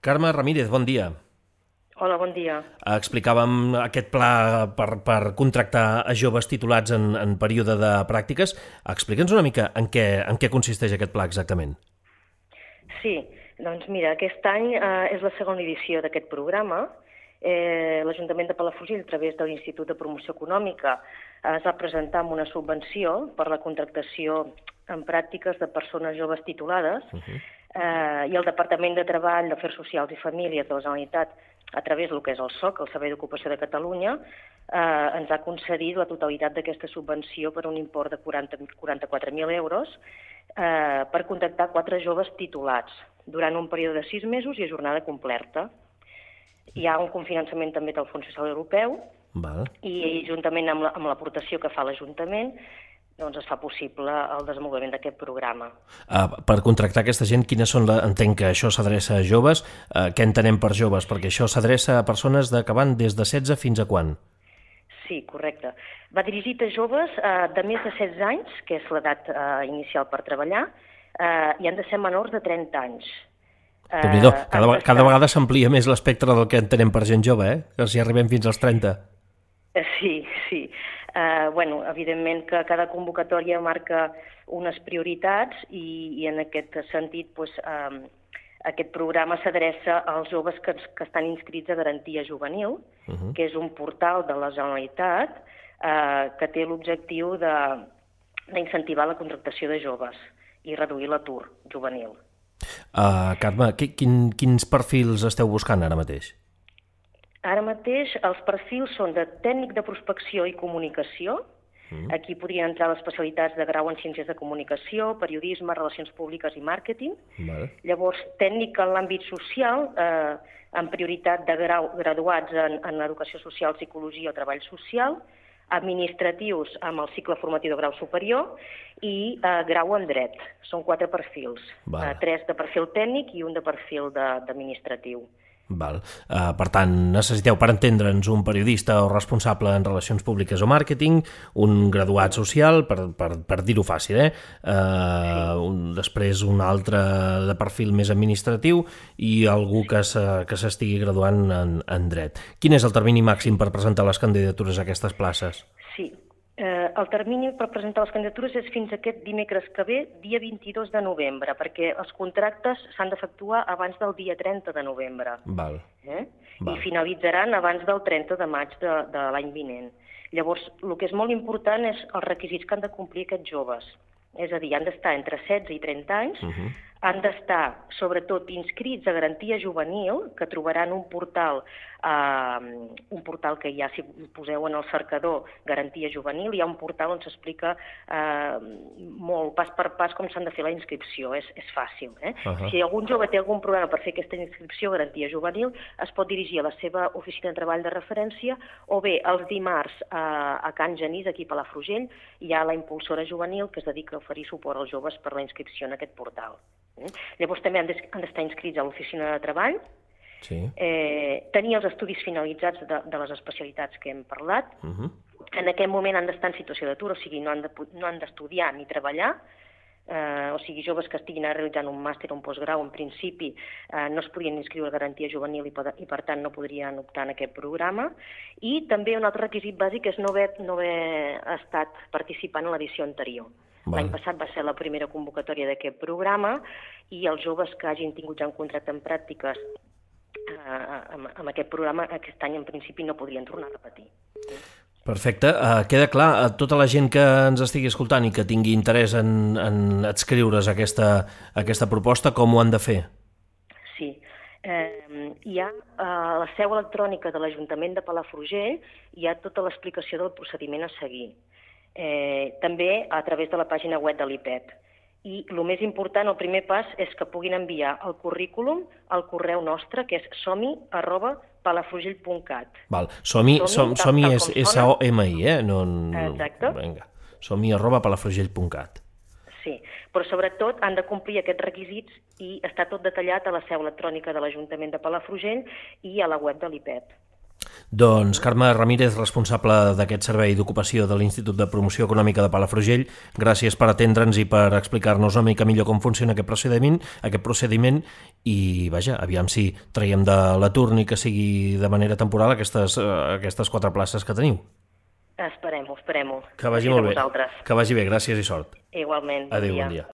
Carme Ramírez, bon dia. Hola, bon dia. Explicàvem aquest pla per contractar a joves titulats en període de pràctiques. Explica'ns una mica en què consisteix aquest pla exactament. Sí, doncs mira, aquest any és la segona edició d'aquest programa. L'Ajuntament de Palafrugell, a través de l'Institut de Promoció Econòmica, es va presentar amb una subvenció per la contractació en pràctiques de persones joves titulades i el Departament de Treball, d'Afers Socials i Famílies de la Generalitat, a través del que és el SOC, el Servei d'Ocupació de Catalunya, ens ha concedit la totalitat d'aquesta subvenció per un import de 44.000 euros per contractar 4 joves titulats durant un període de 6 mesos i a jornada completa. Hi ha un cofinançament també del Fons Social Europeu i juntament amb l'aportació que fa l'Ajuntament doncs es fa possible el desenvolupament d'aquest programa. Per contractar aquesta gent, entenc que això s'adreça a joves. Què entenem per joves? Perquè això s'adreça a persones que van des de 16 fins a quan? Sí, correcte. Va dirigit a joves de més de 16 anys, que és l'edat inicial per treballar, i han de ser menors de 30 anys. Déu-n'hi-do, cada vegada s'amplia més l'espectre del que entenem per gent jove, que si arribem fins als 30. Sí. Evidentment que cada convocatòria marca unes prioritats i en aquest sentit aquest programa s'adreça als joves que estan inscrits a Garantia Juvenil, que és un portal de la Generalitat que té l'objectiu d'incentivar la contractació de joves i reduir l'atur juvenil. Carme, quins perfils esteu buscant ara mateix? Ara mateix els perfils són de tècnic de prospecció i comunicació. Aquí podrien entrar les especialitats de grau en ciències de comunicació, periodisme, relacions públiques i màrqueting. Llavors, tècnic en l'àmbit social, amb prioritat de graduats en educació social, psicologia o treball social, administratius amb el cicle formatiu de grau superior i grau en dret. Són 4 perfils, 3 de perfil tècnic i un de perfil d'administratiu. Per tant, necessiteu, per entendre'ns, un periodista o responsable en relacions públiques o màrqueting, un graduat social, per dir-ho fàcil, després un altre de perfil més administratiu i algú que s'estigui graduant en dret. Quin és el termini màxim per presentar les candidatures a aquestes places? Sí. El termini per presentar les candidatures és fins aquest dimecres que ve, dia 22 de novembre, perquè els contractes s'han d'efectuar abans del dia 30 de novembre. I finalitzaran abans del 30 de maig de l'any vinent. Llavors, el que és molt important és els requisits que han de complir aquests joves. És a dir, han d'estar entre 16 i 30 anys, han d'estar, sobretot, inscrits a Garantia Juvenil, que trobaran un portal que ja, si poseu en el cercador Garantia Juvenil, hi ha un portal on s'explica molt pas per pas com s'han de fer la inscripció, és fàcil. Si algun jove té algun problema per fer aquesta inscripció a Garantia Juvenil, es pot dirigir a la seva oficina de treball de referència o bé els dimarts a Can Genís, aquí a Palafrugell, hi ha la impulsora juvenil que es dedica a oferir suport als joves per la inscripció en aquest portal. Llavors també han d'estar inscrits a l'oficina de treball, tenir els estudis finalitzats de les especialitats que hem parlat, en aquest moment han d'estar en situació d'atur, o sigui, no han d'estudiar ni treballar, o sigui, joves que estiguin realitzant un màster o un postgrau, en principi no es podrien inscriure a Garantia Juvenil i per tant no podrien optar en aquest programa. I també un altre requisit bàsic és no haver estat participant en l'edició anterior. L'any passat va ser la primera convocatòria d'aquest programa i els joves que hagin tingut ja un contracte en pràctiques amb aquest programa aquest any en principi no podrien tornar a repetir. Perfecte. Queda clar, tota la gent que ens estigui escoltant i que tingui interès en adscriure's a aquesta proposta, com ho han de fer? Sí. Hi ha a la seu electrònica de l'Ajuntament de Palafrugell, hi ha tota l'explicació del procediment a seguir. També a través de la pàgina web de l'IPEP. I el més important, el primer pas, és que puguin enviar el currículum al correu nostre, que és somi@palafrugell.cat. Somi és SOMI, Exacte. somi@palafrugell.cat. Sí, però sobretot han de complir aquests requisits i està tot detallat a la seu electrònica de l'Ajuntament de Palafrugell i a la web de l'IPEP. Doncs Carme Ramírez, responsable d'aquest servei d'ocupació de l'Institut de Promoció Econòmica de Palafrugell, gràcies per atendre'ns i per explicar-nos una mica millor com funciona aquest procediment i, vaja, aviam si traiem de l'atur ni que sigui de manera temporal aquestes 4 places que teniu. Esperem-ho. Que vagi molt bé. Que vagi bé, gràcies i sort. Igualment. Adéu, bon dia.